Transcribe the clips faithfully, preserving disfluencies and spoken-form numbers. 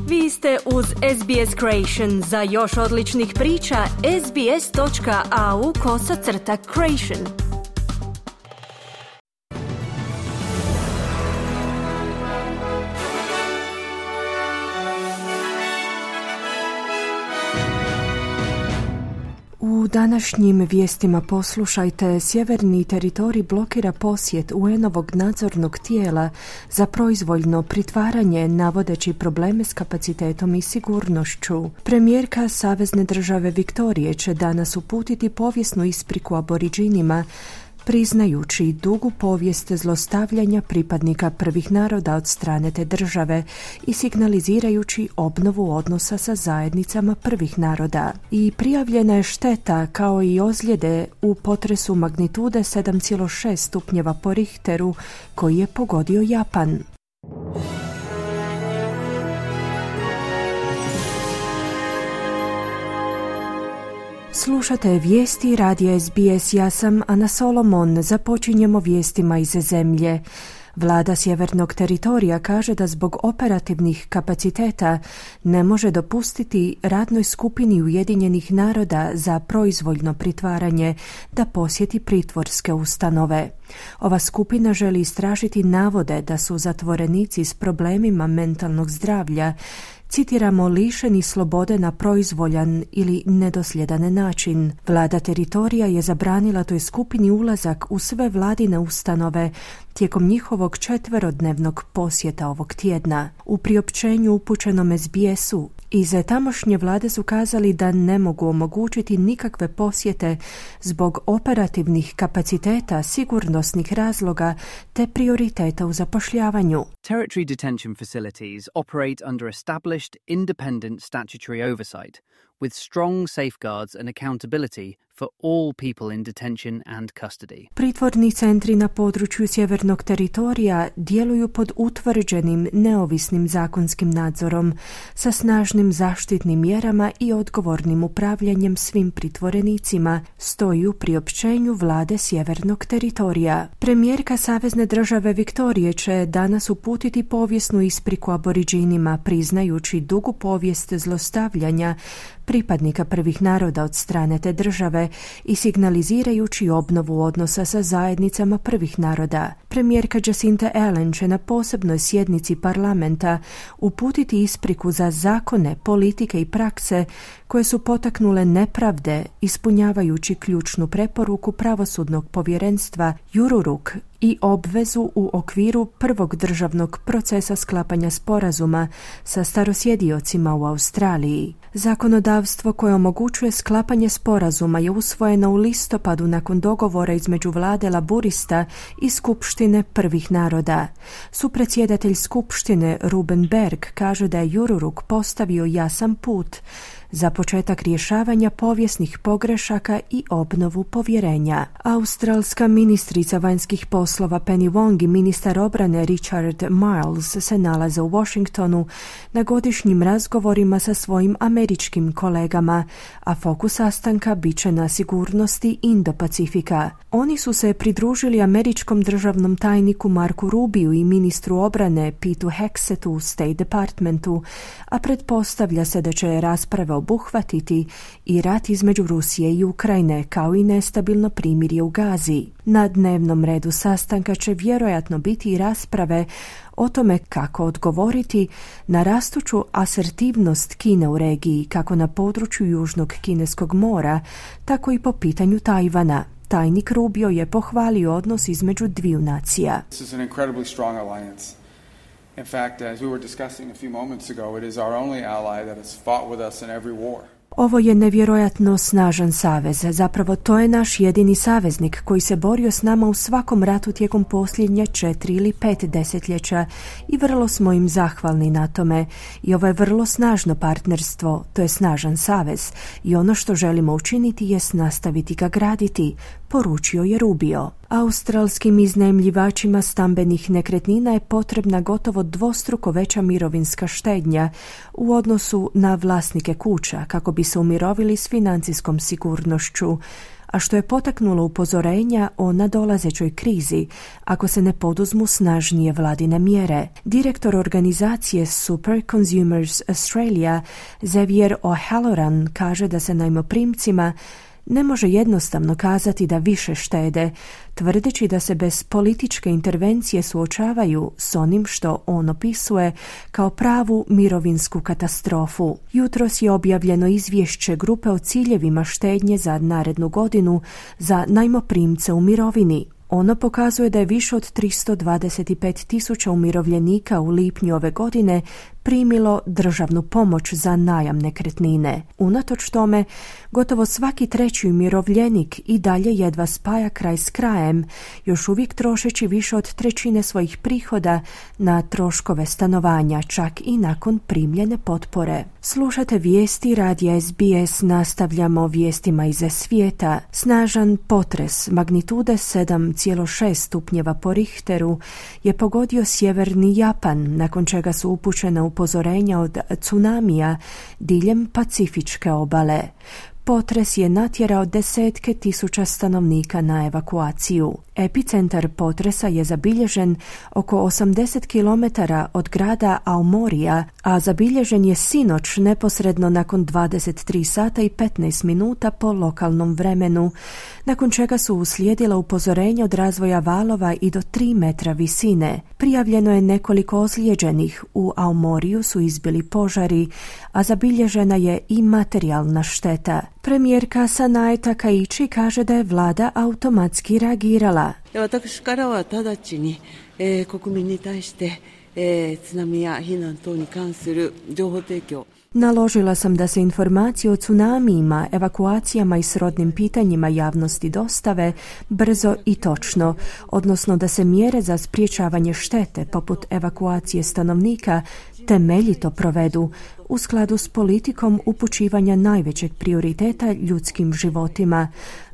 Vi ste uz S B S Creation. Za još odličnih priča, sbs.au kosacrta creation. U današnjim vijestima poslušajte, sjeverni teritorij blokira posjet U N-ovog nadzornog tijela za proizvoljno pritvaranje navodeći probleme s kapacitetom i sigurnošću. Premijerka Savezne države Viktorije će danas uputiti povijesnu ispriku aboriđinima, priznajući dugu povijest zlostavljanja pripadnika prvih naroda od strane te države i signalizirajući obnovu odnosa sa zajednicama prvih naroda. I prijavljena je šteta kao i ozljede u potresu magnitude sedam zarez šest stupnjeva po Richteru koji je pogodio Japan. Slušate vijesti radija S B S, ja sam Ana Solomon. Započinjemo vijestima iz zemlje. Vlada sjevernog teritorija kaže da zbog operativnih kapaciteta ne može dopustiti radnoj skupini Ujedinjenih naroda za proizvoljno pritvaranje da posjeti pritvorske ustanove. Ova skupina želi istražiti navode da su zatvorenici s problemima mentalnog zdravlja, citiramo, lišeni slobode na proizvoljan ili nedosljedan način. Vlada teritorija je zabranila toj skupini ulazak u sve vladine ustanove tijekom njihovog četverodnevnog posjeta ovog tjedna. U priopćenju upućenom S B S-u iz tamošnje vlade su kazali da ne mogu omogućiti nikakve posjete zbog operativnih kapaciteta, sigurnosnih razloga te prioriteta u zapošljavanju. Territory detention facilities operate under established independent statutory oversight with strong safeguards and accountability for all people in detention and custody. Pritvorni centri na području sjevernog teritorija djeluju pod utvrđenim neovisnim zakonskim nadzorom sa snažnim zaštitnim mjerama i odgovornim upravljanjem svim pritvorenicima, stoji u priopćenju vlade sjevernog teritorija. Premijerka Savezne države Viktorije će danas uputiti povijesnu ispriku aboriđinima, priznajući dugu povijest zlostavljanja pripadnika prvih naroda od strane te države i signalizirajući obnovu odnosa sa zajednicama prvih naroda. Premijerka Jacinta Ardern će na posebnoj sjednici parlamenta uputiti ispriku za zakone, politike i prakse koje su potaknule nepravde, ispunjavajući ključnu preporuku pravosudnog povjerenstva Jururuk i obvezu u okviru prvog državnog procesa sklapanja sporazuma sa starosjediocima u Australiji. Zakonodavstvo koje omogućuje sklapanje sporazuma je usvojeno u listopadu nakon dogovora između vlade Laburista i Skupštine prvih naroda. Supredsjedatelj Skupštine Ruben Berg kaže da je Jururuk postavio jasan put za početak rješavanja povijesnih pogrešaka i obnovu povjerenja. Australska ministrica vanjskih poslova Penny Wong i ministar obrane Richard Marles se nalaze u Washingtonu na godišnjim razgovorima sa svojim američkim kolegama, a fokus sastanka bit će na sigurnosti Indo-Pacifika. Oni su se pridružili američkom državnom tajniku Marku Rubiju i ministru obrane Peteu Hexetu u State Departmentu, a pretpostavlja se da će rasprave obuhvatiti i rat između Rusije i Ukrajine, kao i nestabilno primirje u Gazi. Na dnevnom redu sastanka će vjerojatno biti i rasprave o tome kako odgovoriti na rastuću asertivnost Kine u regiji, kako na području Južnog Kineskog mora, tako i po pitanju Tajvana. Tajnik Rubio je pohvalio odnos između dviju nacija. This is an incredibly strong alliance. In fact, as we were discussing a few moments ago, it is our only ally that has fought with us in every war. Ovo je nevjerojatno snažan savez. Zapravo to je naš jedini saveznik koji se borio s nama u svakom ratu tijekom posljednje četiri ili pet desetljeća i vrlo smo im zahvalni na tome. I ovo je vrlo snažno partnerstvo, to je snažan savez i ono što želimo učiniti jest nastaviti ga graditi, poručio je Rubio. Australskim iznajmljivačima stambenih nekretnina je potrebna gotovo dvostruko veća mirovinska štednja u odnosu na vlasnike kuća kako bi se umirovili s financijskom sigurnošću, a što je potaknulo upozorenja o nadolazećoj krizi ako se ne poduzmu snažnije vladine mjere. Direktor organizacije Super Consumers Australia Xavier O'Halloran kaže da se najmoprimcima ne može jednostavno kazati da više štede, tvrdeći da se bez političke intervencije suočavaju s onim što on opisuje kao pravu mirovinsku katastrofu. Jutros je objavljeno izvješće grupe o ciljevima štednje za narednu godinu za najmoprimce u mirovini. Ono pokazuje da je više od tristo dvadeset pet tisuća umirovljenika u lipnju ove godine primilo državnu pomoć za najam nekretnine. Unatoč tome, gotovo svaki treći umirovljenik i dalje jedva spaja kraj s krajem, još uvijek trošeći više od trećine svojih prihoda na troškove stanovanja, čak i nakon primljene potpore. Slušate vijesti radija S B S, nastavljamo vijestima iz svijeta. Snažan potres magnitude sedam zarez šest stupnjeva po Richteru je pogodio sjeverni Japan, nakon čega su upućene upozorenja od tsunamija diljem Pacifičke obale. Potres je natjerao desetke tisuća stanovnika na evakuaciju. Epicentar potresa je zabilježen oko osamdeset kilometara od grada Aomorija, a zabilježen je sinoć neposredno nakon dvadeset tri sata i petnaest minuta po lokalnom vremenu, nakon čega su uslijedila upozorenja od razvoja valova i do tri metra visine. Prijavljeno je nekoliko ozlijeđenih, u Aomoriju su izbili požari, a zabilježena je i materijalna šteta. Premijerka Sanae Takaichi kaže da je vlada automatski reagirala. 私からは直ちに、えー、国民に対して、えー、津波や避難等に関する情報提供 Naložila sam da se informacije o tsunamijima, evakuacijama i srodnim pitanjima javnosti dostave brzo i točno, odnosno da se mjere za sprječavanje štete, poput evakuacije stanovnika, temeljito provedu u skladu s politikom upućivanja najvećeg prioriteta ljudskim životima.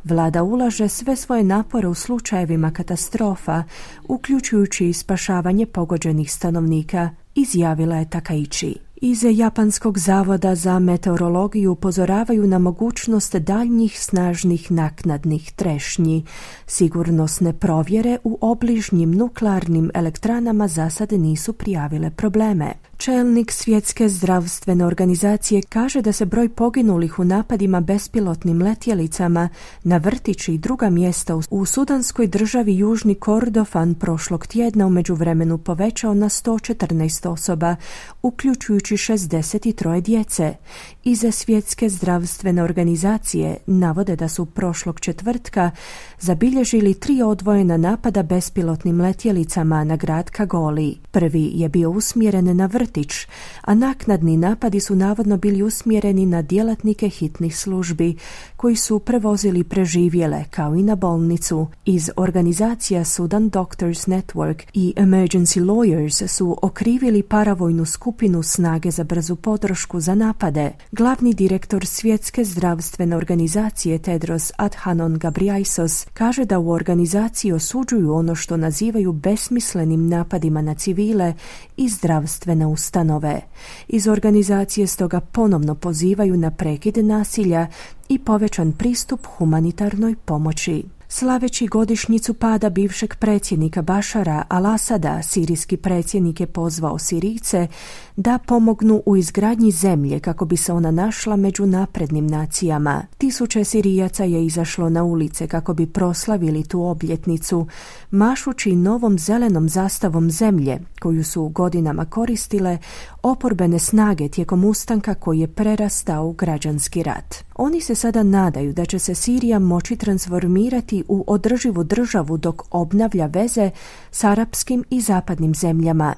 Vlada ulaže sve svoje napore u slučajevima katastrofa, uključujući i spašavanje pogođenih stanovnika, izjavila je Takaichi. Iz Japanskog zavoda za meteorologiju upozoravaju na mogućnost daljnjih snažnih naknadnih trešnji. Sigurnosne provjere u obližnjim nuklearnim elektranama za sad nisu prijavile probleme. Čelnik Svjetske zdravstvene organizacije kaže da se broj poginulih u napadima bespilotnim letjelicama na vrtići i druga mjesta u sudanskoj državi Južni Kordofan prošlog tjedna u međuvremenu povećao na sto četrnaest osoba, uključujući šezdeset tri djece. Iz Svjetske zdravstvene organizacije navode da su prošlog četvrtka zabilježili tri odvojena napada bespilotnim letjelicama na grad Kagoli. Prvi je bio usmjeren na vrtić, a naknadni napadi su navodno bili usmjereni na djelatnike hitnih službi, koji su prevozili preživjele, kao i na bolnicu. Iz organizacija Sudan Doctors Network i Emergency Lawyers su okrivili paravojnu skupinu snage za brzu podršku za napade. Glavni direktor Svjetske zdravstvene organizacije Tedros Adhanom Ghebreyesus kaže da u organizaciji osuđuju ono što nazivaju besmislenim napadima na civile i zdravstvene ustanove. Iz organizacije stoga ponovno pozivaju na prekid nasilja i povećan pristup humanitarnoj pomoći. Slaveći godišnjicu pada bivšeg predsjednika Bašara al-Asada, sirijski predsjednik je pozvao Sirijce da pomognu u izgradnji zemlje kako bi se ona našla među naprednim nacijama. Tisuće Sirijaca je izašlo na ulice kako bi proslavili tu obljetnicu, mašući novom zelenom zastavom zemlje, koju su godinama koristile oporbene snage tijekom ustanka koji je prerastao u građanski rat. Oni se sada nadaju da će se Sirija moći transformirati u održivu državu dok obnavlja veze s arapskim i zapadnim zemljama.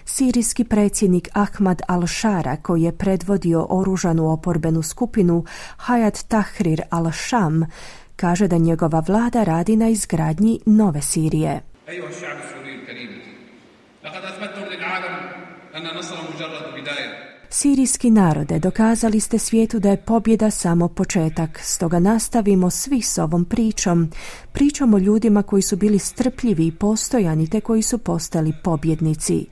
Sirijski predsjednik Ahmad al-Shara, koji je predvodio oružanu oporbenu skupinu Hayat Tahrir al-Sham, kaže da njegova vlada radi na izgradnji nove Sirije. Sirijski narode, dokazali ste svijetu da je pobjeda samo početak, stoga nastavimo svi s ovom pričom. Pričom o ljudima koji su bili strpljivi i postojani te koji su postali pobjednici.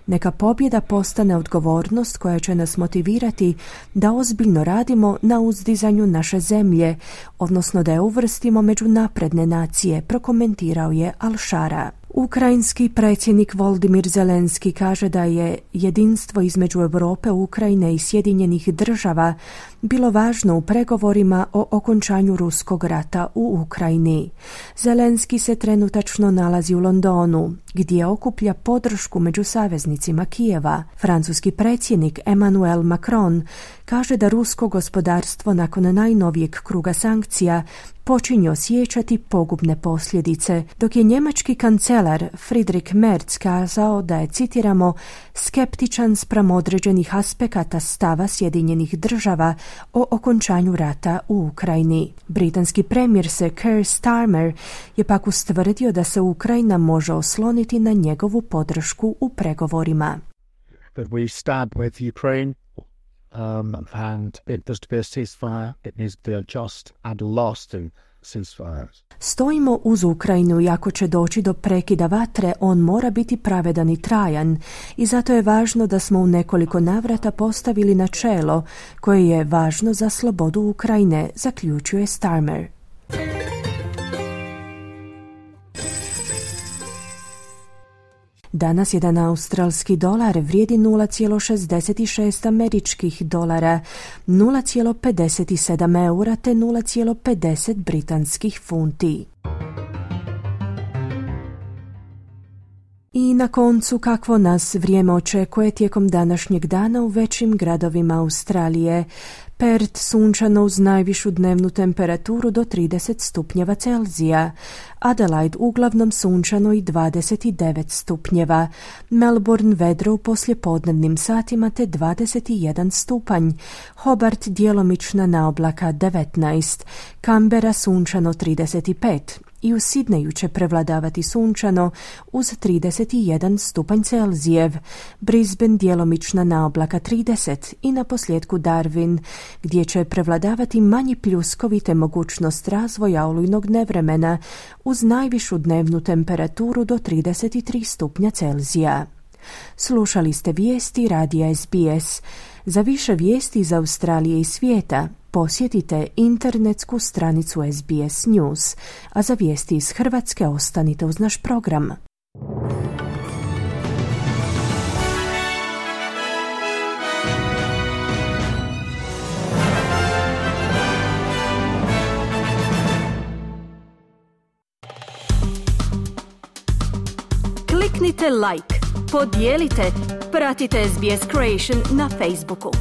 Neka pobjeda postane odgovornost koja će nas motivirati da ozbiljno radimo na uzdizanju naše zemlje, odnosno da je uvrstimo među napredne nacije, prokomentirao je Al-Shara. Ukrajinski predsjednik Volodymyr Zelenski kaže da je jedinstvo između Europe, Ukrajine i Sjedinjenih država bilo važno u pregovorima o okončanju ruskog rata u Ukrajini. Zelenski se trenutačno nalazi u Londonu, gdje okuplja podršku među saveznicima Kijeva. Francuski predsjednik Emmanuel Macron kaže da rusko gospodarstvo nakon najnovijeg kruga sankcija počinje osjećati pogubne posljedice, dok je njemački kancelar Friedrich Merz kazao da je, citiramo, skeptičan spram određenih aspekata stava Sjedinjenih država o okončanju rata u Ukrajini. Britanski premijer Sir Keir Starmer je pak ustvrdio da se Ukrajina može osloniti na njegovu podršku u pregovorima. But we stand with Ukraine. Um, and it does to be a ceasefire, it needs to be a just and lasting ceasefire. Stojimo uz Ukrajinu i ako će doći do prekida vatre, on mora biti pravedan i trajan i zato je važno da smo u nekoliko navrata postavili načelo koje je važno za slobodu Ukrajine, zaključuje Starmer. Danas jedan australski dolar vrijedi nula zarez šezdeset šest američkih dolara, nula zarez pedeset sedam eura te nula zarez pedeset britanskih funti. I na koncu, kakvo nas vrijeme očekuje tijekom današnjeg dana u većim gradovima Australije. Perth sunčano uz najvišu dnevnu temperaturu do trideset stupnjeva Celzija. Adelaide uglavnom sunčano i dvadeset devet stupnjeva. Melbourne vedro u poslijepodnevnim satima te dvadeset jedan stupanj. Hobart djelomična naoblaka devetnaest. Canberra sunčano trideset pet. I u Sidneju će prevladavati sunčano uz trideset jedan stupanj Celzijev, Brisbane djelomična naoblaka trideset i na posljedku Darwin, gdje će prevladavati manji pljuskovi te mogućnost razvoja olujnog nevremena uz najvišu dnevnu temperaturu do trideset tri stupnja Celzija. Slušali ste vijesti radija S B S. Za više vijesti iz Australije i svijeta posjetite internetsku stranicu S B S News, a za vijesti iz Hrvatske ostanite uz naš program. Kliknite like, podijelite, pratite S B S Creation na Facebooku.